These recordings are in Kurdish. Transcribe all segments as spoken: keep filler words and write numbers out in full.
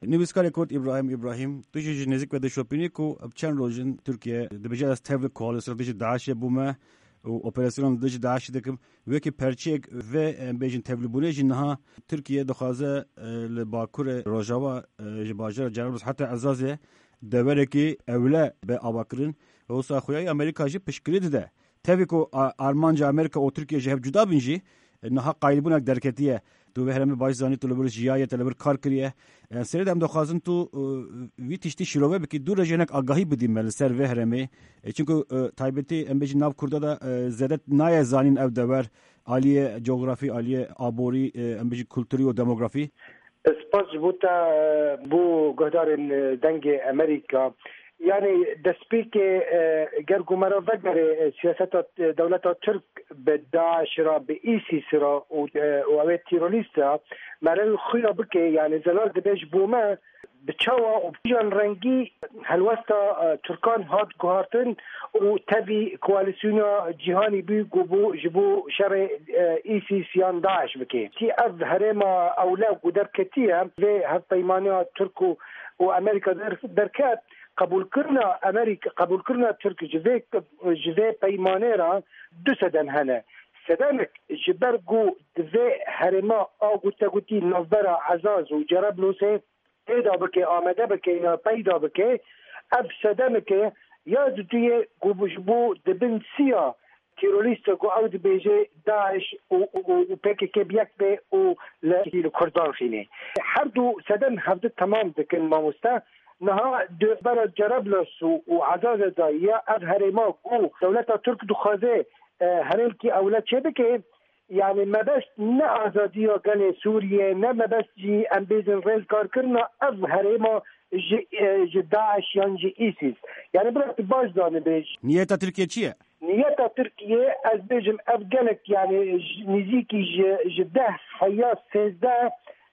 Nivîskarê Kurd Îbrahîm Îbrahîm, tu jî ji nêzik ve dişopînî ku bi çend roj in Tirkiye dibêje, ez tevli koalîsyon dijî DAIŞê bûme û operasyonan dijî DAIŞê dikim. Wekî perçeyek vê, em bêjin, tevlîbûnê jî niha Tirkiye dixwaze, e, li bakurê rojava, e, ji bajara Cerablus heta Ezazê deverekî ewle be avakirin. Wisa xweyayî Amerîka jî piştgirî dide. Tevî ku a-, armanca Amerîka û Tirkiye ji hev cuda bin jî, e, niha qayilbûnek derketiye. Tu vê herêmê baş zanî, tu li vir jiyaye, te li vir kar kiriye. E, serê de em dixwazin tu, e, vî tiştî şîrove bikî, dû re jî hinek agahî bidî me li ser vê herêmê. E, çunku, e, taybetî em bêjin nav Kurda de, e, zêde nayê zanîn ev dever, aliyê cografî, aliyê aborî, e, em bêjin kulturî û demografî. Spas ji bo te, e, bo guhdarên, e, Dengê Amerîka. Yani destpêkê, e, ger ku me re vegerê, e, siyaseta, e, dewleta Tirk bi DAIŞ re, bi ISIS re û, e, û ew ê terorîst re, me re xuya bike, yani zelal dibe ji bo me, bi çawa û bi kîjan rengî helwesta, e, Tirkan hat guhartin û tevî koalîsyona cîhanî bû ku bû ji bo şerê, e, ISIS yan DAIŞ bike. Tî ev herêma ewle ku derketiye vê hevpeymaniya Tirk û, û Amerîka der-, derket, qebûlkirina Amerîka, qebûlkirina Tirk ji vê, ji vê peymanê re du sedem hene. Sedemek ji ber ku di vê herêma a ku te gotî navbera Ezaz û Cerablûsê peyda bike, amade bike ya peyda bike, ev sedemeke ya diduyê ku ji bo di bin siya terorîsta ku ew dibêje DAIŞ û, û, û, û PKK bi yek be û li, li Kurdan xînê. Her du sedem hevdi temam dikin mamoste. Niha di bera Cerablus û, û Ezazê de ya ev herêma ku dewleta Tirk dixwaze, e, herêmkî ewle çêbike, yani mebest ne azadiya gelê Sûriyê, ne mebest jî em bêjin rêzgarkirina ev herêma ji, e, ji DAIŞ yan ji ISIS. Yani bira tu baş zanibê. Niyeta Tirkiye çi ye? Niyeta Tirkiye, ez bêjim, ev gelek, yani ji, nêzîkî ji, ji deh heya sêzdeh,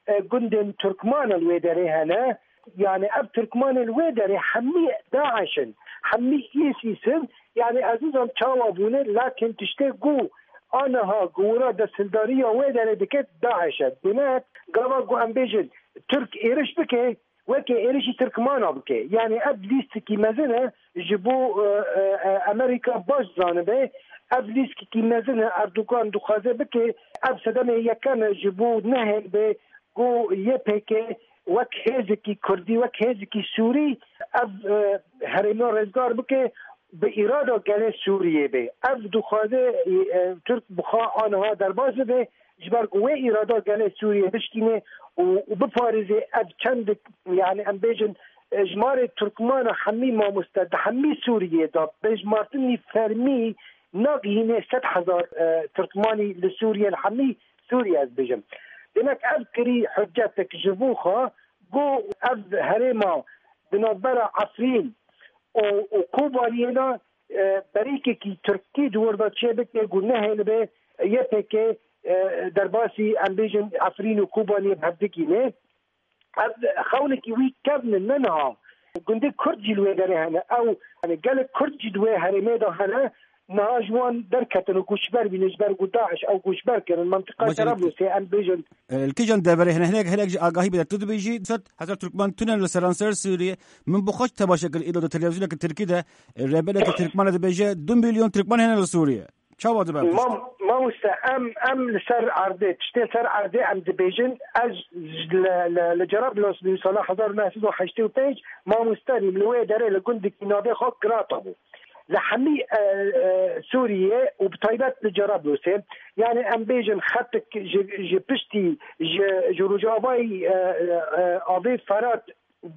e, gundên Tirkmanan wê derê hene. Yani ev Tirkmanên wê derê hemî DAIŞ in, hemî ISIS in. Yani ez nizam çawa bûne, lakin tiştê ku aniha gowra desthildariya wê derê dike DAIŞ e. Demek gava ku em bêjin Tirk êriş bike, weke êrişî Tirkmana bike. Yani ev lîstikî mezin e ji bo, e, e, e, Amerîka baş zanibe. Ev lîstikî mezin e Erdogan dixwaze bike. Ev sedemê yekem e ji bo nehêl be ku Y P G wek hêzekî Kurdî, wek hêzekî Sûrî ev, e, herêma rêzgar bike bi îrada gelê Sûriyê be. Ev dixwaze, e, Tirk bi xwe aniha derbas bibe, ji ber ku wê îrada gelê Sûriyê bişkîne û, û biparêze ev çendik, yani em bêjin, e, jimarê Tirkmana hemî mamoste di hemî Sûriyê de bi hejmartinî fermî nagihîne sed hezar, e, Tirkmanî li Sûriye, li hemî Sûriye ez bêjim. Demek ev kirî hiccetek ji bo xwe ku ev herêma di navbera Efrîn û, û Kobaniyê de, e, berîkekî Tirkî di wir de çêbike ku nehêlibe Y P G, e, derbasî em bêjin Efrîn û Kobaniyê bi hev digîne. Ev xewnekî wî kevn in, ne niha. Gundê Kurd jî li wê derê hene. Ew, yani gelek Kurd jî di wê herêmê de hene. Niha ji wan derketin û koçber bîne, ji ber ku DAIŞ ew koçber kirin. Mantiqa Cerablûsê em bêjin. E, li kîjan deverê hene? Hinek, hinek ji agahî bide. Tu dibêjî sed hezar Tirkman tune li seranser Sûriyê. Min bi xwe temaşe kir îro di televîzyoneke Tirkî de, e, rêbereke Tirkman e dibêje du milyon Tirkman hene li Sûriyê. Çawa dibe ev tişt? Mam-, mamoste, em, em li ser erdê, tiştê ser erdê em dibêjin, ez li, li, li Cerablus li sala hezar û neh sed û heştê û pênc mamoste bûm, li wê derê li gundekî navê xwe Grata bû. Li hemî, e, e, Sûriyê û bi taybet li Cerablusê, yani em bêjin xetik ji, ji piştî, ji, ji rojavayî, e, e, e, avê Ferat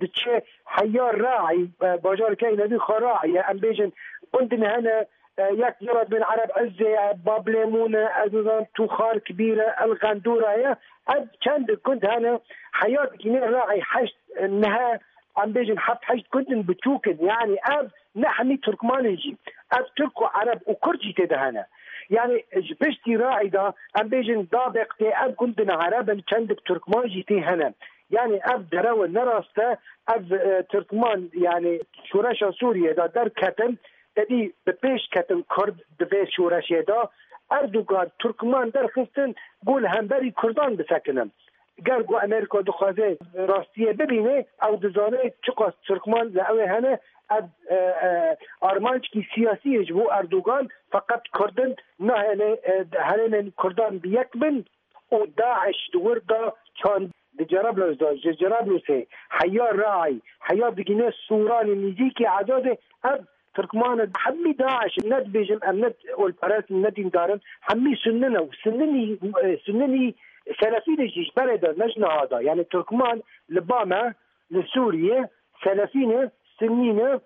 diçe heya Raî, e, bajarkeyê nevî xwe Raî ye. Em bêjin gundin hene, e, yek jê re dibên Ereb Izzê ye, Bablêmûn e, ez nizanim Tûxar Kibîr e, El Xendûra ye. Ev çend gund hene, heya digîne Raî heşt, e, nihe, em bêjin heft heşt gundin biçûk in. Yani ev ne hemî Tirkman in jî. Ev Tirk û Ereb û Kurd jî tê de hene. Yani ji piştî Raî de em bêjin Dabek tê, ev gundin Ereb in, çendik Tirkman jî tê hene. Yani ev derew e, ne rast e. Ev, e, Tirkman, yani şoreşa Sûriyê de derketin, tedî bi pêş ketin Kurd di vê şoreşê de. Erdogan Tirkman derxistin, ku li hemberî Kurdan bisekinin. Ger ku Amerîka dixwaze rastiyê bibîne, ew dizane çiqas Tirkman li ew ê hene. Ev, e, e, armancekî siyasî ye ji bo Erdogan, feqet Kurd in nahêle, e, herêmên Kurdan bi yek bin û DAIŞ di wir de çand, di Cerablus de, ji Cerablûsê heya Reayî, heya digîne Sûranê nîzîkî Ezadê, ev Tirkman in, hemî DAIŞ in, ne dibêjim em ne olperest in, ne dîndar in, hemî Sunni ne û Sunnî, e, Sunnî Selefî ne jî ji berê de, ne ji niha de. Yani Tirkman li ba me, li Sûriyê, Selefî ne, Sunnî ne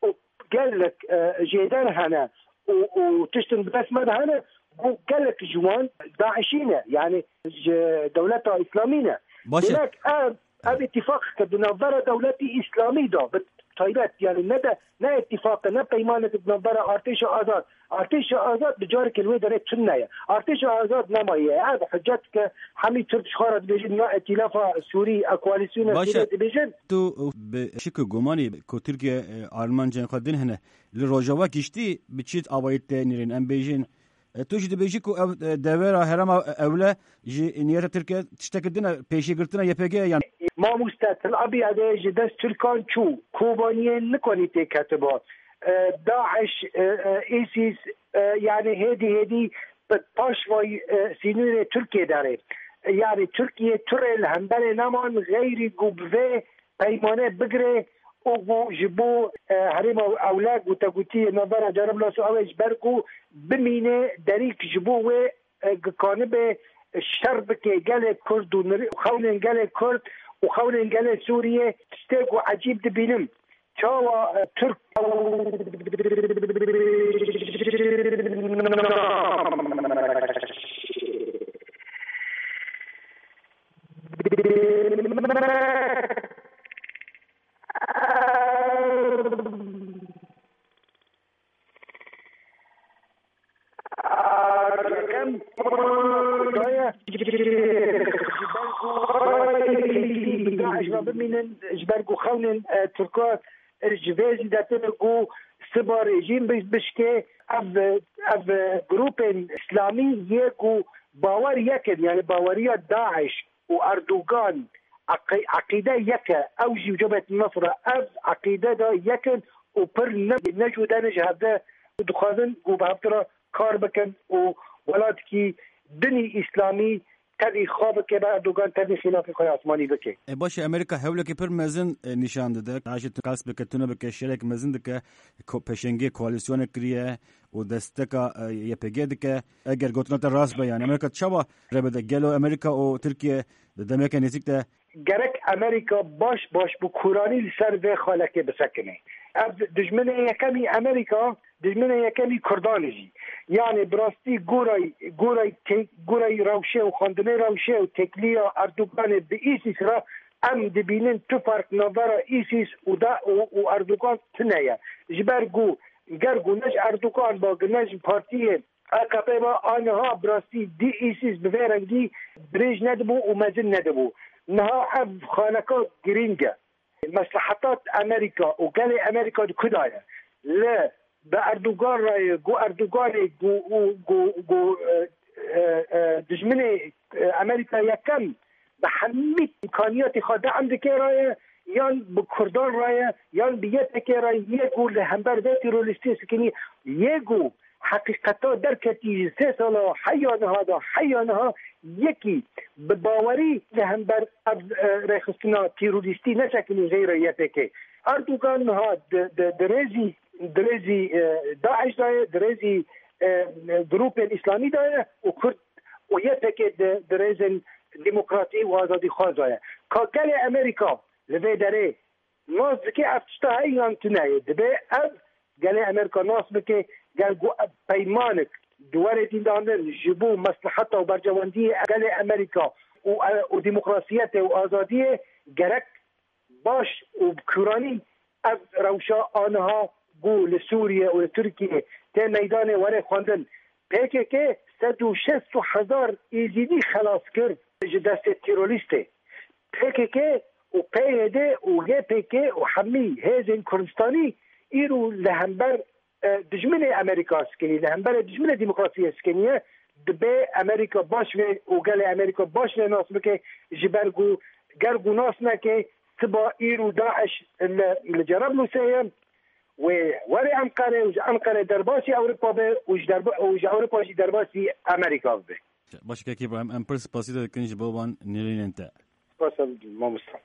û gelek, e, jêder hene û, û tiştin bi dest me de hene, ku gelek ji wan DAIŞî ne, yani ji dewleta Îslamî ne. Baş e. Demek ev, ev îtîfaqeke di navbera dewletî Îslamî de, bi taybet, yani ne de, ne îtîfaqe, ne peymaneke di navbera Artêşa Azad. Artêşa Azad bi carekê li wê derê tune ye. Artêşa Azad nemaye. Ev hicet ke hemî Tirk ji xwe re dibêjin, na îtîlafa Sûrî, a koalîsyona Baş e. Sûrî dibêjin. Tu bi şik û gumanî ku Tirkiye, e, armancên xwe din hene. Li Rojava giştî bi çi awayî tê nîrin? Em bêjin, e, tu jî dibêjî ku ev, e, devera herêma Ewle ji niyeta Tirkiye tiştekî din e, pêşîgirtina Y P G ye yan? Mamoste, Tel Abî Ede ji dest Tirkan çû, Kobaniyê nikonî tê ketiba. E, DAIŞ, e, e, ISIS, e, yani hêdî hêdî bi paş vay, e, sînorê Tirkiye derê. E, yani Tirkiye tu rê li hemberê neman, xeyrî ku bi vê peymane bigire û ku ji bo, e, herêma Ewle gotegotiyê navbera Cerablusê ew ê ji ber ku bimîne derîk ji bo wê, e, gikanibe şer bike gelê Kurd û nir-, xewnên gelê Kurd û xewnên gelê Sûriyê. Tiştê ku ecîb dibînim. Çawa, e, Tirk Yekem daye ji ber ku DAIŞ ve bimînin, ji ber ku xewnên, e, Tirka, e, ji vê zîdetir ku siba rejîm bi-, bişkê. Ev, ev grûpên îslamî yê ku bawer yek in, yani baweriya DAIŞ û Erdogan eqî-, eqîde yek e. Ew jî û Cebhet Nusra ev eqîde de yek in û pir ne, ne jûde ne ji hevde û dixwazin ku bi hevdira kar bikin û welatekî dinî îslamî tevî xwe bike, be Erdogan tevî xîlafê xwe yê asmanî bike. E, baş e, Amerîka hewlekî pir mezin, e, nîşan dide. Naşê tu qels bike, tune bike, şerek mezin dike, ko-, pêşengê koalîsyonê kiriye û desteka, e, Y P G dike. Eger gotina te rast be, yani Amerîka çawa rê bide? Gelo Amerîka û Tirkiye di demeke nêzîk de Gerek Amerîka baş baş bi kûranî li ser vê xalekê bisekine. Ev dijminê yekemî Amerîka, dijminê yekemî Kurdan e jî. Yani bi rastî gorayî, gorayî te-, gorayî rewşê û xwendinê rewşê û têkiliya Erdoganê bi ISIS re em dibînin tu ferq navbera ISIS û da û, û Erdogan tune ye. Ji ber ku ger ku ne ji Erdogan ba, ne ji partiyê A K P ve aniha bi rastî dî ISIS bi vê rengî dirêj nedibû û mezin nedibû. Niha ev xaneka girîng e. Mesleheta Amerîka û gelê Amerîka di ku de ye? Li bi Erdogan re ye, ku Erdoganê ku, û, ku, ku, e, e, e, dijminê, e, Amerîka yekem bi hemî îmkaniyatê xwe de'm dike re ye, yan bi Kurdan re ye, yan bi Y P G re ye ku li hember vê terorîstê sikinî, yê ku heqîqeta derketî ji sê sala heya niha de, heya niha yekî bi bawerî li hember ev, e, rêxistina terorîstî nesekinî xeyra Y P G. Erdogan niha di, di, di rêzî, di rêzî, e, DAIŞ de ye, di rêzî, e, grûpên îslamî de ye û Kurd û Y P G di, di rêzên demokratî û azadîxwaz de ye. Ka gelê Amerîka li vê derê nas dike ev tişta heye yan tune ye. Dibe ev gelê Amerîka nas bike, ger ku ev peymanek di were dîndanin ji bo mesleheta û berjewendiyê gelê Amerîka û, û demokrasiyetê û azadiyê gerek baş û bi kûranî ev rewşa aniha ku li Sûriye û li Tirkiye tê meydanê were xwendin. P K K sed û şêst hezar Êzidî xelas kir ji destê terorîstê. P K K û P Y D û Y P G û hemî hêzên Kurdistanî îro li hember, e, dijminê Amerîka sikinî, li hemberê dijminê demokrasiyê sikiniye. Dibe Amerîka baş vê û gelê Amerîka baş vê nas bike, ji ber ku ger ku nas neke, siba îro DAIŞ li, li Cerablusê ye, wê were Enqere û ji Enqere derbasî Ewropa be û ji derba-, û ji Ewropa jî derbasî Amerîka bibe. Baş e, Kek Îbrahîm, em pir spasî te dikin ji bo van nêrînên te. Spas, mamosta.